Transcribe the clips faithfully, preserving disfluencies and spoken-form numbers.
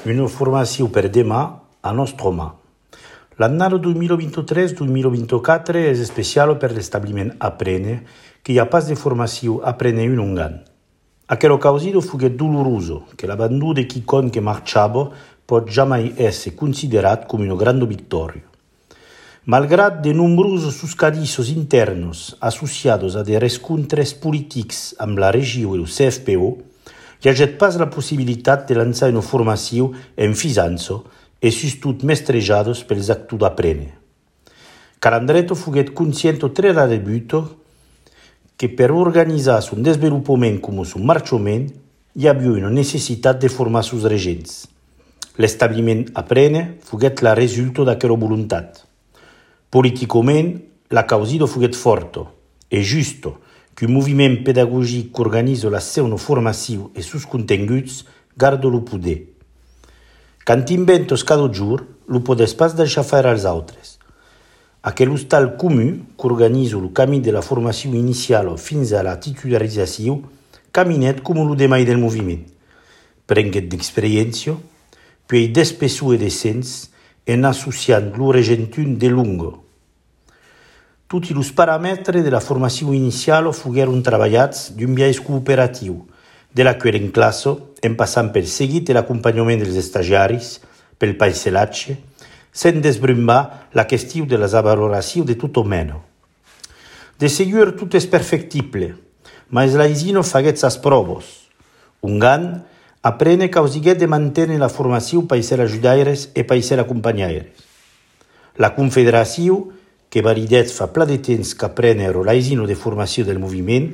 Una formació per demà a nostra mà. L'anno duemilaventitrés-duemilaventiquattro és especial per l'establiment Aprene, che hi ha pas de formació Aprene in Ungarn. Aquello causido fuguet doloroso, che l'abbandono de quicon che marciava pot jamais essere considerat come una grande vittoria. Malgrat de nombrosos suscadissos internos associados a de rescontres politics amb la regió e el C F P O, hi ha pas la possibilitat de lançar una formació en fisança e sustot mestrejados pels actors d'Aprene. Calandretto fuguet conscient tre da debut que per organitzar son desenvolupament com son marchament hi havia una necessitat de formar sus regents. L'establiment Aprene fuguet la resulta d'aquella voluntat. Politicament, la causa fuguet forta e justa que un moviment pedagògic que organitza la seva formació e sus continguts garda el poder. Quand inventos cada jour, lo podes pas deixar fer als altres. Aquell hostal comú que organitza el camí de la formació inicial fins a la titularització caminet com el demà del moviment. Prenguet d'experiència, puis d'espessor de sens en associant lo regentun de lungo. Tutti els paràmetres de la formació inicial fugueren treballats d'un biaix cooperatiu, de la qual en classe, en passant pel seguit i l'acompanyament dels estagiaris, pel paisatge, sen desbrumbar la qüestió de la valoració de tot mena. De segur tot és perfectible, mas l'aisino faguet sas proves. Un gan Aprene causiguet de mantenir la formació per ser ajudaires e per ser acompanyaires. La Confederació, que validet fa pla de temps qu'Aprene l'aisino de formació del moviment,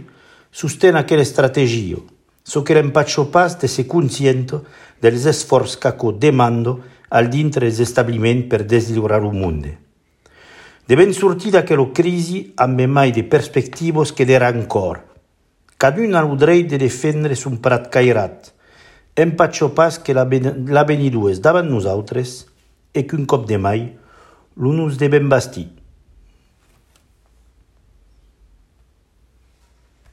sostén aquella estratègia, so que eren pas pas de ser conscient dels esforços qu'aco demanda al dintre dels establiments per deslibrar el món. Devem sortir d'aquella crisi amb mai de perspectives que d'era ancora. Cada un ha el dret de defendre son prat cairat, en patxo pas que l'avenidor és davant nosaltres e qu'un cop de mai, l'un nos devem bastir.